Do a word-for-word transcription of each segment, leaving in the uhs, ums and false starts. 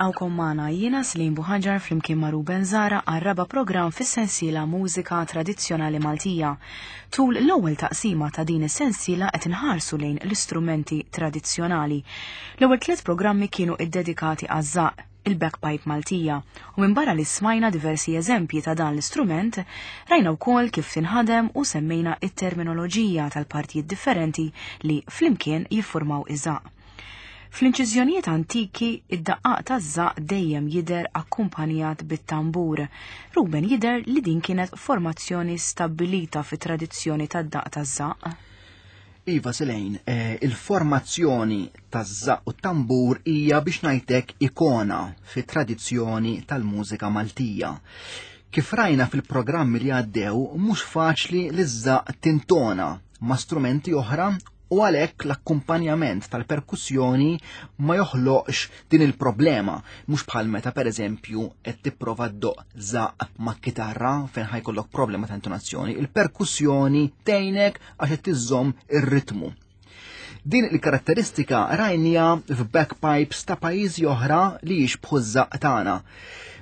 Nilqawkom magħna jiena Slim Buħaġar flimkien ma' Ruben Zara għar-raba' programm fis-sensiela Mużika Tradizzjonali Maltija. Tul l-ewwel taqsima ta' din is-sensiela qed inħarsu lejn l-istrumenti tradizzjonali. L-ewwel tliet programmi kienu iddedikati għaż-żaqq, il-bagpipe Maltija, u minn barra li smajna diversi eżempji ta' dan l-istrument, rajna wkoll kif tinħadem u semmejna it-terminoloġija tal-partijiet differenti li flimkien jiffurmaw iż-żaqq. Fl-inċiżjonijiet antiki, id-daqqaq taż-żaqq dejjem jidher akkumpanjat bit-tambur. Ruben, jidher li din kienet formazzjoni stabbilita fit-tradizzjoni tad-daqq taż-żaqq. Iva Selejn, eh, il-formazzjoni taż-żaqq u tambur hija biex ngħidlek ikona fit-tradizzjoni tal-mużika Maltija. Kif rajna fil-programmi li għaddew, mhux faċli li ż-żaqq tintona ma' strumenti oħra u għalhekk l-akkumpanjament tal-perkussjoni ma joħloqx din il-problema, mhux bħal meta pereżempju qed tipprova ddoqq żaqq ma' kitarra fejn ħajkollok problema ta' intonazzjoni. Il-perkussjoni tgħinek għax qed tiżżomm ir-ritmu. Din il-karatteristika rajnija f'bagpipes ta' pajjiżi oħra li jixbħu ż-żaqq tagħna.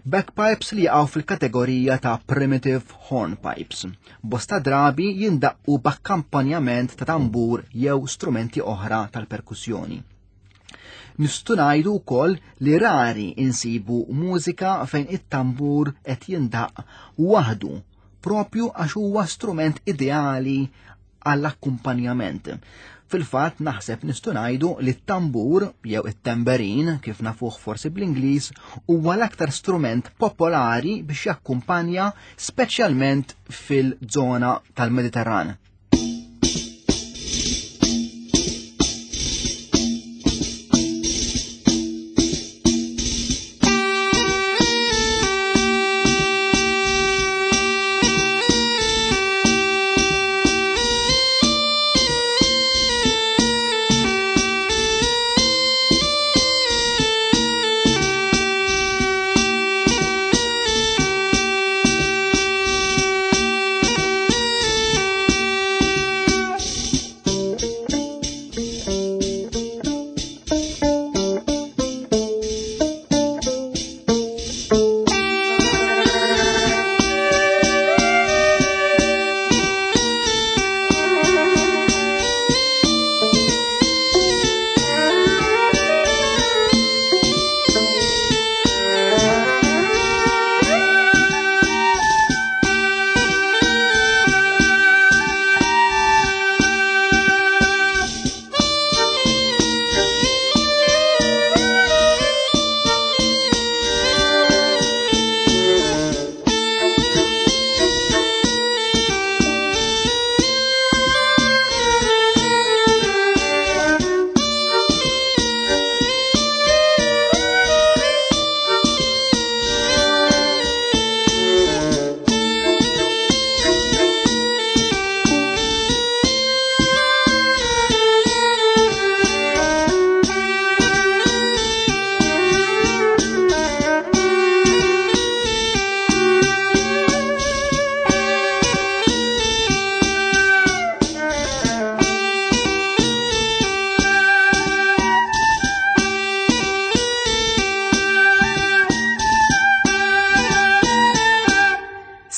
Bagpipes li jaqgħu fil-kategorija ta' primitive hornpipes. Bosta drabi jindaqqu b'akkampanjament ta' tambur jew strumenti oħra tal-perkussjoni. Nistgħu ngħidu wkoll li rari insibu mużika fejn it-tambur qed jindaq waħdu, propju għax huwa strument ideali għall-akkumpanjament. Fil-fatt naħseb nistgħu ngħidu li t-tambur jew it-tambourine, kif nafuh forsi bl-Ingliż, huwa l-aktar strument popolari biex jakkumpanja speċjalment fil-żona tal-Mediterran.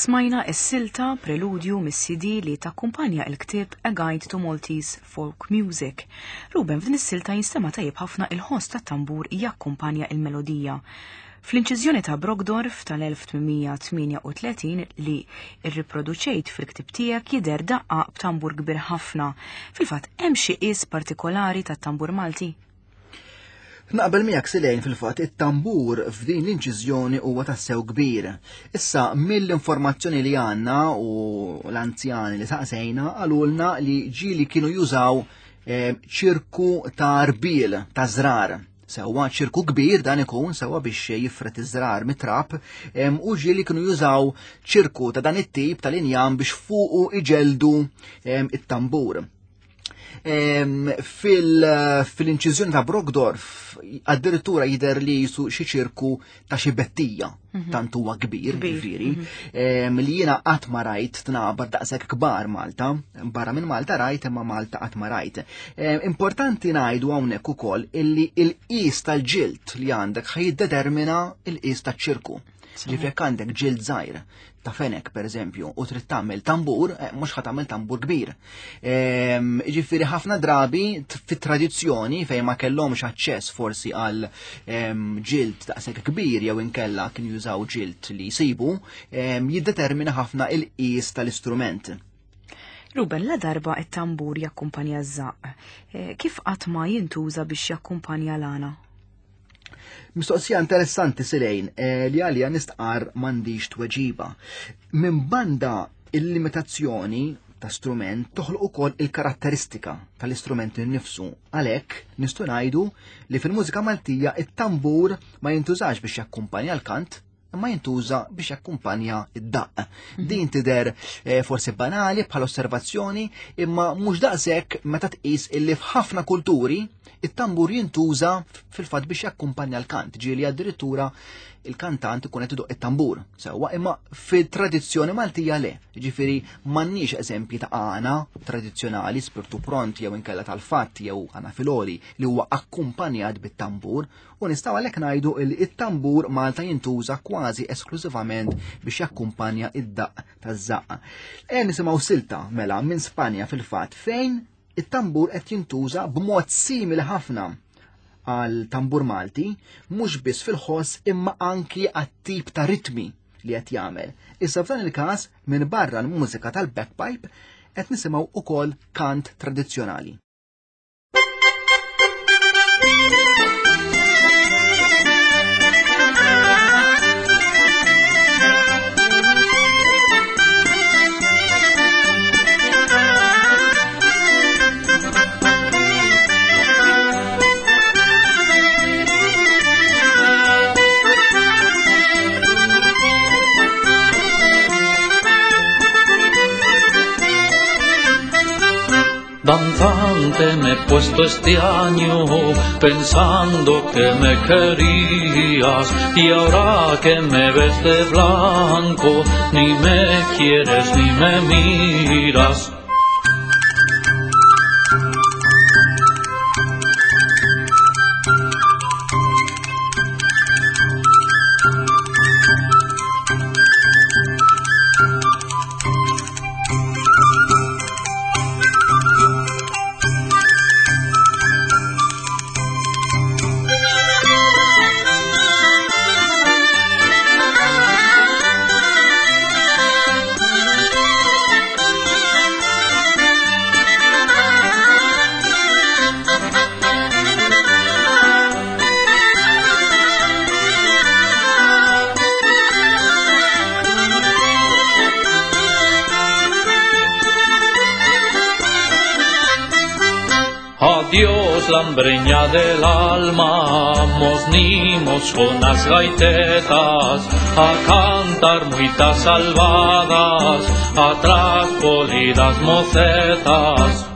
Smajna s-silta preludju mis-C D li takkumpanja il-ktieb A Guide to Maltese Folk Music. Ruben, f'din is-silta jinstema' tajjeb ħafna il-ħoss tat-tambur jakkumpanja il-melodija. Fl-inċiżjoni ta' Brockdorff tal-elf tmien mija tmienja u tletin li rriproduċejt fil-ktieb tiegħek jidher daqqa b'tambur kbir ħafna. Fil-fatt hemm xi qies partikolari tat-tambur Malti? Naqbel miegħek Silejn, fil-fatt it-tambur f'din l-inċiżjoni huwa tassew kbir. Issa mill-informazzjoni li għandna u l-anzjani li saqsejna qalulna li ġieli kienu jużaw, eh, ċirku ta' rbil ta' żrar. Sewwa ċirku kbir dan ikun sewwa biex jifret iż-żrar mit-trab, em, u ġieli kienu jużaw ċirku ta' dan it-tip tal-injam biex fuqu iġeldu, em, it-tambur. Fil-inċiżjoni ta' Brockdorff addirittura jidher li jisu xi ċirku ta' xi bettija, tant huwa kbir, ġifieri, li jiena qatt ma rajt tnabar daqshekk kbar Malta, barra minn Malta rajt imma Malta qatt ma rajt. Importanti ngħidu hawnhekk ukoll illi l-qis tal-ġild li għandek ħa jiddetermina l-qis taċ-ċirku. Ġifieri jekk għandek ġild żgħir ta' fenek pereżempju u trid tagħmel tambur, mhux ħa tagħmel tambur kbir. Ġifieri ħafna drabi fit-tradizzjoni fejn ma kellhomx aċċess forsi għal ġild daqshekk kbir jew inkella kienu jużaw ġild li jsibu, jiddetermina ħafna il-qis tal-istrument. Ruben, la darba it-tambur jakkumpanja ż-żaqq, kif qatt ma jintuża biex jakkumpanja l-għana? Mistoqsija interessanti Silejn, li għalija nistqar m'għandix tweġiba. Minn banda il-limitazzjoni ta' strument toħloq ukoll il-karatteristika tal-istrument innifsu. Għalhekk nistgħu ngħidu li fil-mużika Maltija it-tambur ma jintużax biex jakkumpanja l-kant, imma jintuża biex jakkumpanja id-daqq. Din tidher forsi banali bħala osservazzjoni, imma mhux daqshekk meta tqis illi f'ħafna kulturi it-tambur jintuża fil-fatt biex jakkumpanja l-kant, ġieli addirittura il-kantant ikun qed idoq it-tambur. Sewwa, imma fit-tradizzjoni Maltija le. Ġifieri m'għandniex eżempji ta' għana tradizzjonali, spirtu pront jew inkella tal-fatt jew għana filoli li huwa akkumpanjat bit-tambur, u nistgħu għalhekk ngħidu li it-tambur Malta jintuża kważi esklużivament biex jakkumpanja id-daqq taż-żaqq. E nisimgħu silta mela minn Spanja fil-fatt fejn it-tambur qed jintuża b'mod simili ħafna għal tambur Malti, mhux biss fil-ħoss imma anki għat-tip ta' ritmi li qed jagħmel. Issa f'dan il-każ minn barra l-mużika tal-bagpipe qed nisimgħu ukoll kant tradizzjonali. Danzante me he puesto este año pensando que me querías, y ahora que me ves de blanco ni me quieres ni me miras. Adiós, lambreña del alma, mos nimos con las gaitetas, a cantar muitas salvadas, atrás polidas mocetas.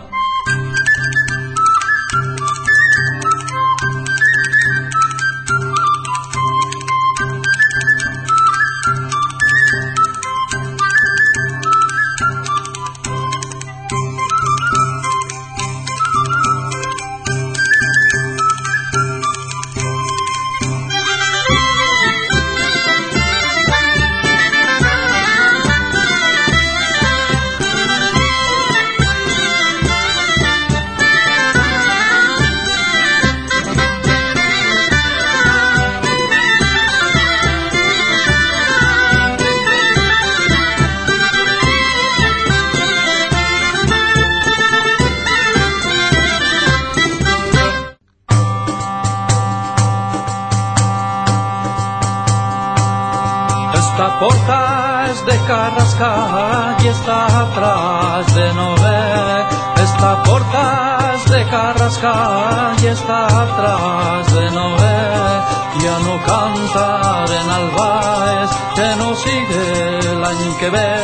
Esta porta es de Carrascal y está atrás de Noé. Esta porta es de Carrascal y está atrás de Noé. Ya no cantar en Albaes, que no sigue el año que ve.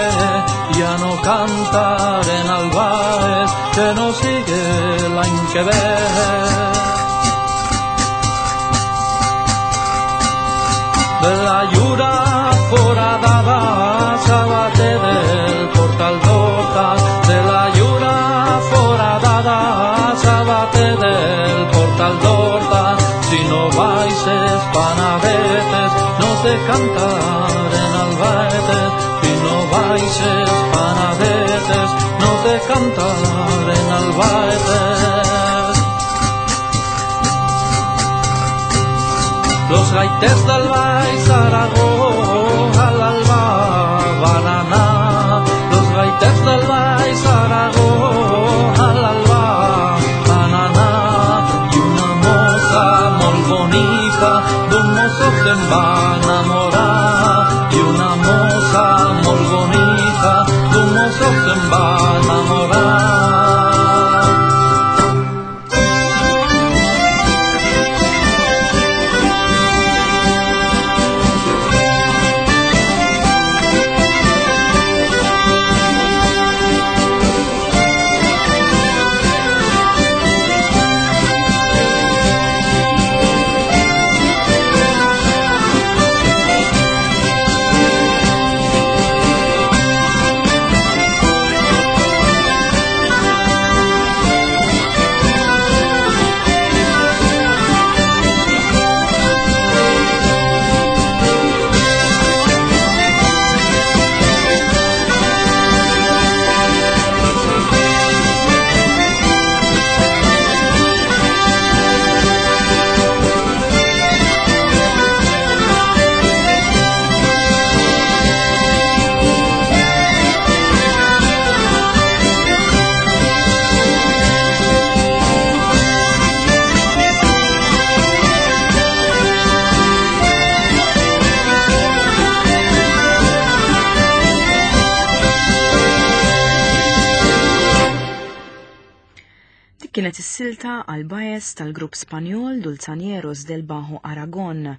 Ya no cantar en Albaes, que no sigue que ver. De la llura foradada s'abate del portal d'Horta, de la llura foradada s'abate del portal d'Horta. Si no baixes panadetes, no te cantaren albaetes. Si no baixes panadetes, no te cantaren albaetes. Los gaiters del Baix Aragó a l'alba van anar. Los gaiters del Baix Aragó a l'alba van anar. I una mossa molt bonica d'un mosso se'n va enamorar. I una mossa molt bonica d'un mosso se'n va enamorar. Kienet is-silta għal bajes tal-grupp Spanjol Dulzaneros del Bajo Aragon.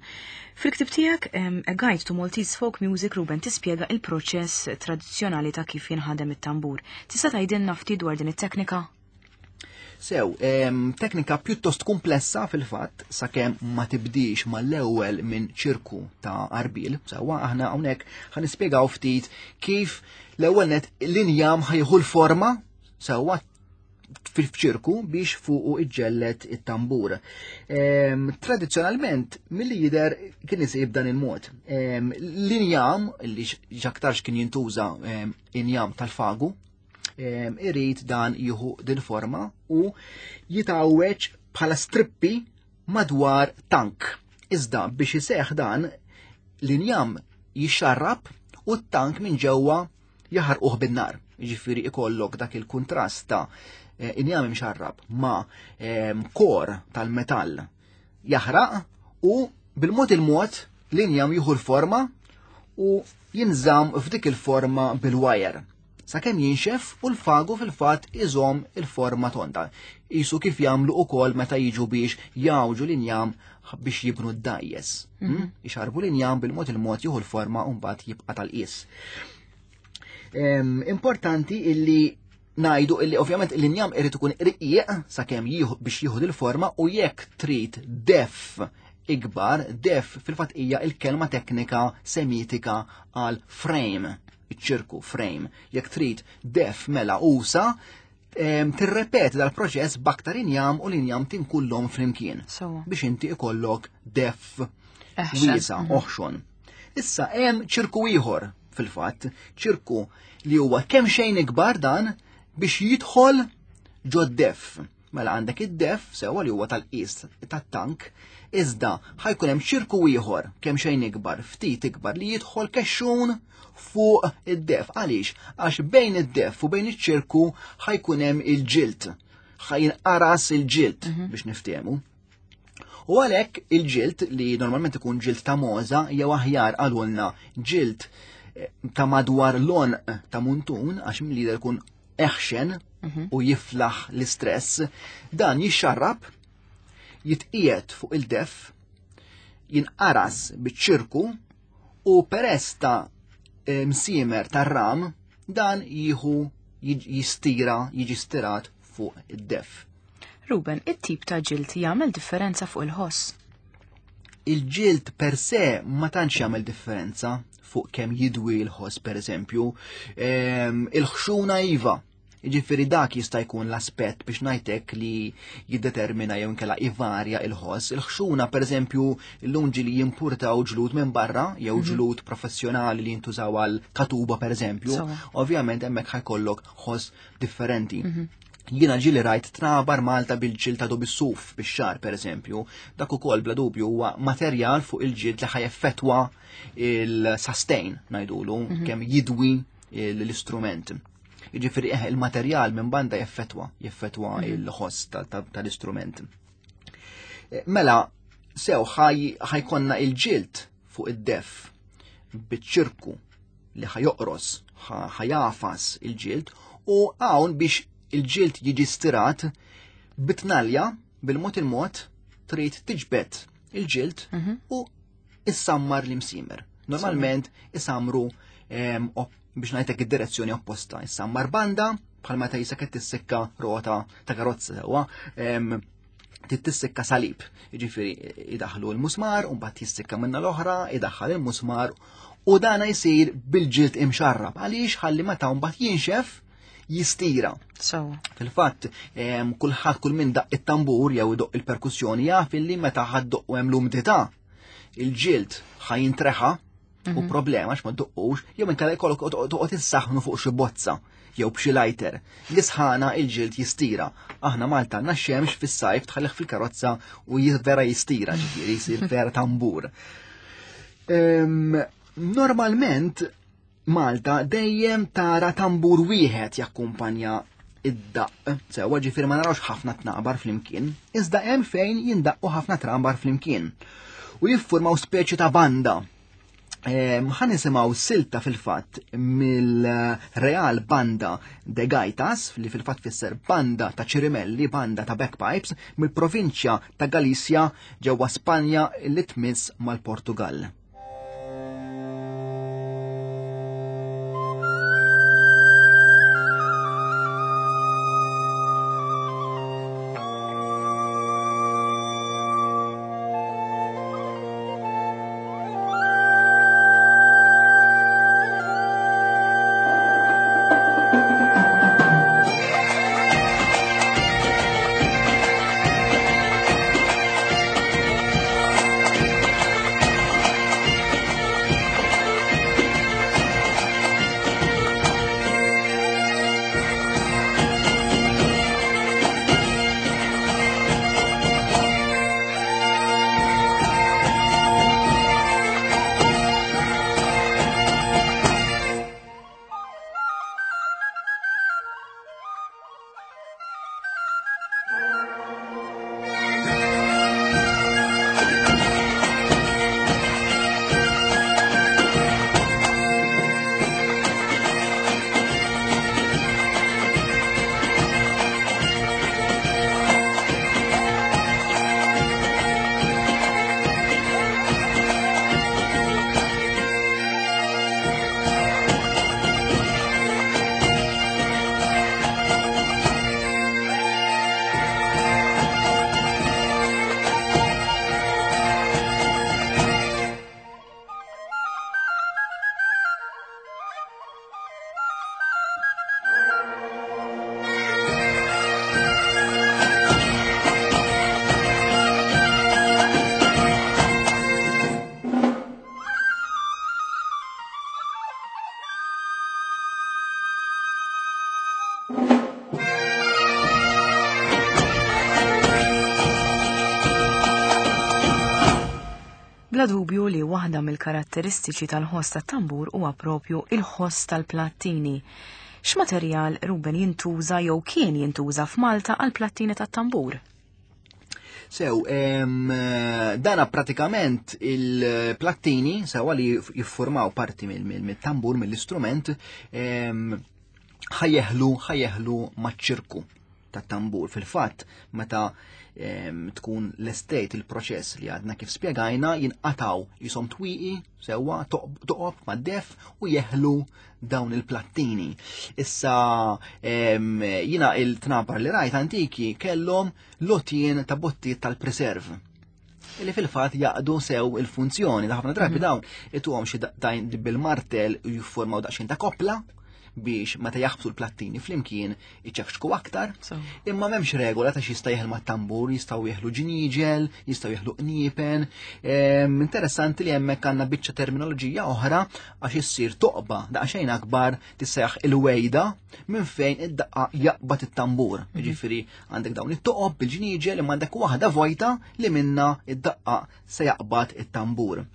Fil-ktib tiegħek A Guide to Maltese Folk Music, Ruben, tispjega il-proċess tradizzjonali ta' kif jinħadem it-tambur. Tista' tgħidilna ftit dwar din it-teknika? Sew, em, teknika pjuttost komplessa fil-fatt, sakemm ma tibdix mal-ewwel minn ċirku ta' arbil. Sewwa aħna hawnhekk ħa nispjegaw ftit kif l-ewwel net l-injam ħajħu l-forma sewwa fil-ċirku biex fuqu iġġellet it-tambur. Ehm, tradizzjonalment, milli jidher kien isib dan il-mod. Ehm, l-injam, li x'aktarx kien jintuża, ehm, injam tal-fagu, ehm, irid dan jieħu din forma u jitgħawweġ bħala strippi madwar tank. Iżda biex iseħħ dan, l-injam jixxarrab u t-tank minn ġewwa jaħarquh bin-nar. Jiġifieri ikollok dak il-kuntrast ta' eh, injam imxarrab ma', ehm, kor tal-metall jaħraq u bil-mod il-mod l-injam jieħu l-forma u jinżamm f'dik il-forma bil-wire. Sakemm jinxef u l-fagu fil-fatt iżomm il-forma tonda. Isu kif jagħmlu ukoll meta jiġu biex jawġu l-injam biex jibnu d-dajjes. Mhm. Hmm? Ixarbu l-injam bil-mod il-mod jieħu l-forma u mbagħad jibqa' tal-qies. Em, importanti illi ngħidu illi ovvjament l-injam irid ikun irqiq sakemm jieħu biex jieħu il-forma u jekk trid def ikbar, def fil-fatt hija il-kelma teknika semitika għal frame, iċ-ċirku frame. Jekk trid def mela usa, em, tirrepeti dal-proċess b'aktar injam u l-injam tinkullhom flimkien. Sewwa. Biex inti ikollok def Eħxen. wiesa, Mhm. oħxon. Issa hemm ċirku ieħor fil-fatt, ċirku li huwa kemm xejn ikbar dan biex jidħol ġod-def. Mela għandek id-def sewwa li huwa tal-qis tat-tank, iżda ħajkun hemm ċirku ieħor kemm xejn ikbar, ftit ikbar li jidħol kexxun fuq id-def. Għaliex? Għax bejn id-def u bejn iċ-ċirku ħajkun hemm il-ġild. Ħajinqaras il-ġild Mhm. biex niftehmu. U għalhekk il-ġild li normalment ikun ġild ta' moza jew aħjar għalulna ġild, eh, ta' madwar l-għonq ta' muntun, għax mill-lider ikun eħxen Mhm. u jiflaħ l-istress, dan jixxarrab, jitqiegħed fuq il-def, jinqaras biċ-ċirku u peress ta', eh, msiemer tar-ram dan jieħu jiġ-, jistira, jiġi stirat fuq id-def. Ruben, it-tip ta' ġild jagħmel differenza fuq il-ħoss? Il-ġild per se ma tantx jagħmel differenza fuq kemm jidwi l-ħoss pereżempju. Il-ħxuna iva, jiġifieri dak jista' jkun l-aspett biex ngħidlek li jiddetermina jew inkella ivarja il-ħoss. Il-ħxuna pereżempju llum ġieli jimpurtaw ġlud minn barra jew ġlud professjonali li jintużaw għal katuba pereżempju. Ovvjament hemmhekk ħajkollok ħoss differenti. Jiena ġieli rajt trabar Malta bil-ġild ta' bis-suf bix-xagħar pereżempju, dak ukoll bla dubju huwa materjal fuq il-ġild li ħajeffettwa il-sustain ngħidulu, kemm jidwi l-istrument. Jiġifieri eh, il-materjal minn banda jeffettwa, jeffettwa il-ħoss tal-istrument. Mela, sew ħajkonna il-ġild fuq id-def biċ-ċirku li ħajoqros, ħajafas il-ġild, u hawn biex il-ġild jiġi stirat bitnalja bil-mod il-mod trid tiġbed il-ġild u issammar l-imsimer. Normalment isamru biex ngħidlek id-direzzjoni opposta. Issammar banda bħal meta jisek qed tissikka rota ta' karozza sewwa, tissikka salib. Jiġifieri idaħlu l-musmar u mbagħad jissikka minna l-oħra, idaħħal il-musmar u dana jsir bil-ġild imxarrab. Għaliex ħalli meta mbagħad jinxef jistira. So. Fil-fatt, kulħadd kull min daq it-tambur jew idoq il-perkussjoni jaf illi meta ħadd doq hemm l-umdità, il-ġild ħajintreħa u problema għax ma ddoqqux, jew inkella jkollok toqgħod issaħħnu fuq xi bozza jew b'xi lighter. L-isħana il-ġild jistira. Aħna Malta għandna x-xemx fis-sajf tħallih fil-karozza u vera jistira, ġifieri jsir vera tambur. Normalment Malta dejjem tara tambur wieħed jakkumpanja id-daqq. Sewwa ġifieri ma narawx ħafna tnaqbar flimkien, iżda hemm fejn jindaqqu ħafna tnaqbar flimkien u jiffurmaw speċi ta' banda. Ħa nisimgħu silta fil-fatt mill-Real Banda de Gaitas, li fil-fatt fisser banda ta' ċirimelli, banda ta' bagpipes, mill-provinċja ta' Galizja ġewwa Spanja li tmiss mal-Portugal. Bla dubju li waħda mill-karatteristiċi tal-ħoss tat-tambur huwa propju il-ħoss tal-plattini. X'materjal Ruben jintuża jew kien jintuża f'Malta għal plattini tat-tambur? Sew, dana pratikament il-plattini sewa li jiffurmaw parti mill-tambur, mill-istrument, ħajeħlu ħajeħlu maċ-ċirku. tat-tambur. Fil-fatt, meta tkun l-estate il-proċess li għadna kif spjegajna, jinqataw jisom twieqi sewwa toqob mad-def u jeħlu dawn il-plattini. Issa jina il-tnabar li rajt antiki kellhom lotien ta' bottijiet tal-preserv li fil-fatt jaqdu sew il-funzjoni. Ta' ħafna drabi dawn ituhom xi daqtajn bil-martel u jiffurmaw daqsxejn ta' koppla biex meta jaħbsu l-plattini flimkien iċekxku aktar. Imma m'hemmx regola ta' x'jista' jeħel mat-tambur, jistgħu jeħlu ġnieġel, jistgħu jeħlu qniepen. Interessanti li hemmhekk għandna biċċa terminoloġija oħra għax issir toqba daqsxejn akbar tisseħ il-wejda minn fejn id-daqqa jaqbad it-tambur. Jiġifieri għandek dawn it-toqob bil-ġnieġel imma għandek waħda vojta li minna id-daqqa se jaqbad it-tambur.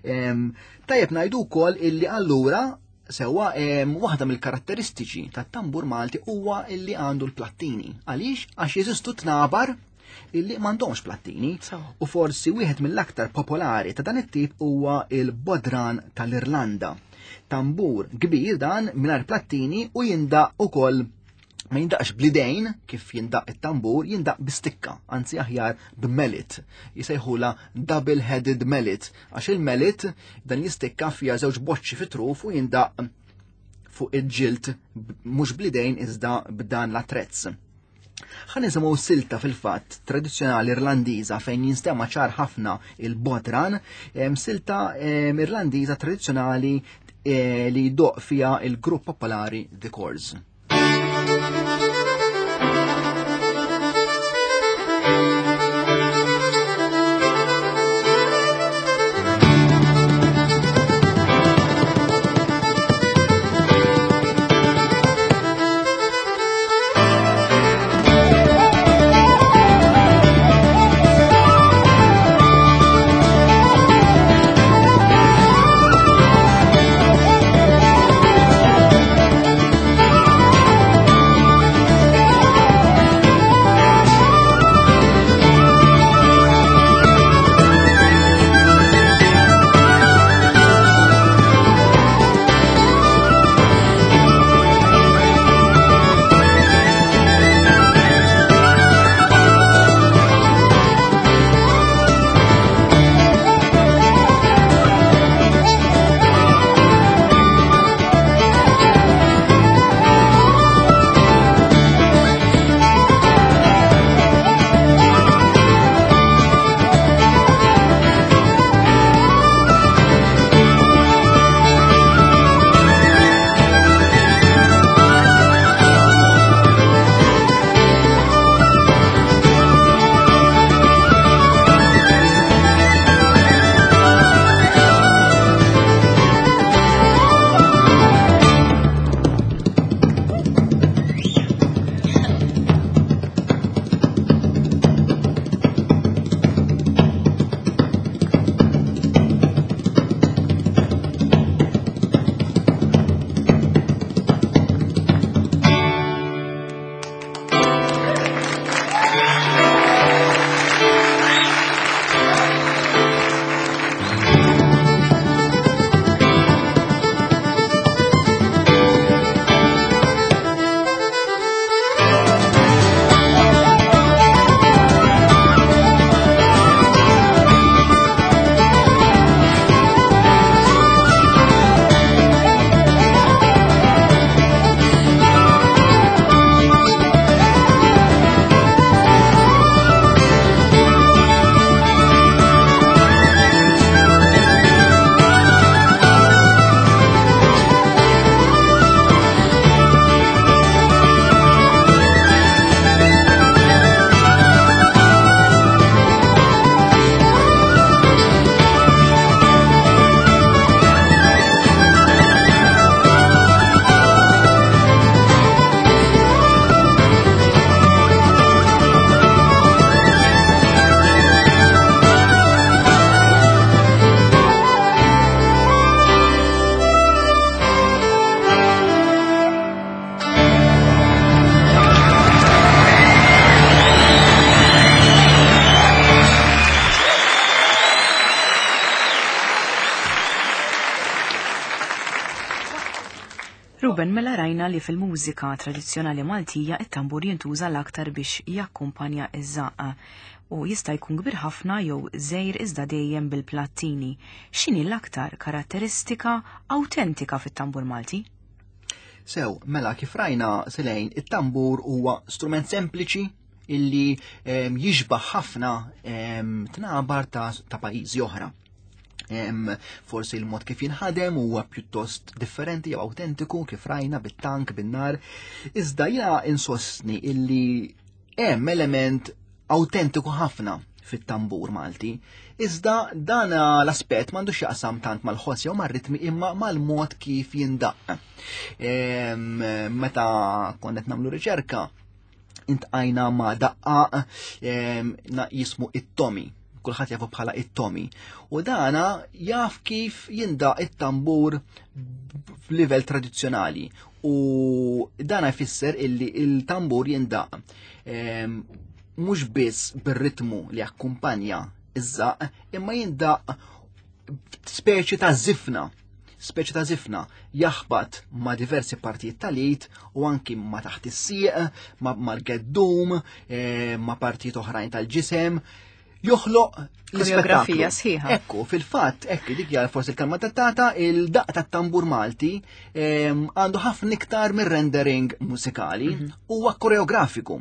Tajjeb ngħidu wkoll illi allura sewwa waħda mill-karatteristiċi tat-tambur Malti huwa illi għandu l-plattini. Għaliex? Għax jeżistu tnabar illi m'għandhomx plattini. U forsi wieħed mill-aktar popolari ta' dan it-tip huwa il-bodran tal-Irlanda. Tambur kbir dan mingħajr plattini u jindaq ukoll ma jindaqx blidejn kif jindaq it-tambur, jindaq bistikka, anzi aħjar b'melit. Jisejħula double-headed mallet, għax il-mallet dan jistikka fija żewġ boċċi fit-truf u jindaq fuq il-ġilt mhux blidejn iżda b'dan l-attrezz. Ħa nisimgħu silta fil-fatt tradizzjonali Irlandiża fejn jinstema' ċar ħafna il-bodran, silta Irlandiża tradizzjonali li jdoq fiha il-grupp popolari The Corrs. Thank you. Ruben, mela rajna li fil-mużika tradizzjonali Maltija it-tambur jintuża l-aktar biex jakkumpanja iż-żaqqa u jista' jkun kbir ħafna jew żgħir iżda dejjem bil-plattini. X'inhi l-aktar karatteristika awtentika fit-tambur Malti? Sew, mela kif rajna Selejn, it-tambur huwa strument sempliċi illi em, jixbaħ ħafna em, tnabar ta', ta' pajjiżi oħra. Em, forsi il-mod kif jinħadem huwa pjuttost differenti jew autentiku kif rajna bit-tank, bin-nar. Iżda jiena insostni illi hemm element autentiku ħafna fit-tambur Malti. Iżda dan l-aspett m'għandux jaqsam tant mal-ħoss jew mar-ritmi imma mal-mod kif jindaq. Em, Meta konna qed nagħmlu riċerka, iltqajna ma' daqqaq em, na- jismu it-Tomi. Kulħadd jafu bħala it-Tomi. U dana jaf kif jindaq it-tambur f'livell tradizzjonali. U dana jfisser illi il-tambur jindaq em, mhux biss bir-ritmu li akkumpanja iż-żaq, imma jindaq speċi ta' zifna speċi ta' zifna jaħbat ma' diversi partijiet tal-id u anki ma' taħt is-sieq, ma' mal-geddum, eh, ma' partijiet oħrajn tal-ġisem, joħloq Koreografija l-ispettaklu. sħiħa. Ekku, fil-fatt, ekku, dik hija forsi il-kelma adattata, il-daq tat-tambur Malti em, għandu ħafna iktar mir-rendering musikali, huwa koreografiku.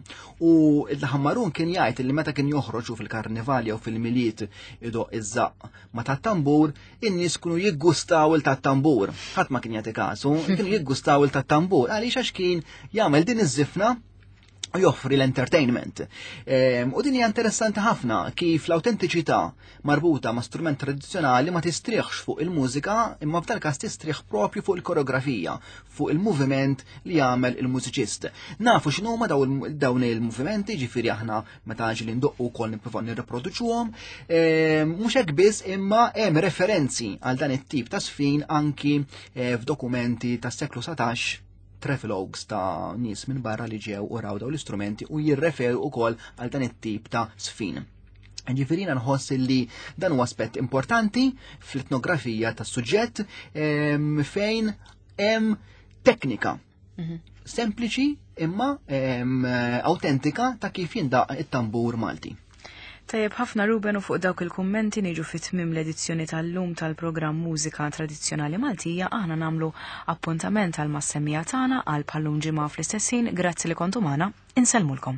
U il-Ħammarun kien jgħid li meta kien joħroġu fil-karnivali jew fil-Milied idoqq iż-żaqq ma tat-tambur, in-nies kienu jiggustaw il tat-tambur. Ħadd ma kien jagħti kasu, kienu jiggustaw il tat-tambur għaliex għax kien jagħmel din iż-żifna u joffri l-entertainment. Em, U din hija interessanti ħafna kif l-autentiċità marbuta ma' strument tradizzjonali ma tistrieħx fuq il-mużika imma f'dal każ tistrieħ propju fuq il-koreografija, fuq il-moviment li jagħmel il-mużiċist. Nafu x'inhuma daw- dawn il-movimenti, ġifieri aħna meta ġieli ndoqqu wkoll nippruvaw nirriproduċuhom. Em, Mhux hekk biss imma hemm referenzi għal dan it-tip ta' sfin anki eh, f'dokumenti tas-seklu satax, travelogues ta' nies minn barra li ġew u raw daw l-istrumenti u jirreferu ukoll għal dan it-tip ta' sfin. Ġifieri nħoss li dan huwa aspett importanti fl-etnografija tas-suġġett em, fejn hemm teknika sempliċi imma em, autentika ta' kif jindaq it-tambur Malti. Tajjeb ħafna, Ruben, u fuq dawk il-kummenti niġu fit tmim l-edizzjoni tal-lum tal-programm Mużika Tradizzjonali Maltija. Aħna nagħmlu appuntament għal mas-semmiegħa tagħna għal bħal-lum ġimgħa fl-istess ħin. Grazzi li kontu magħna, insellmulkom.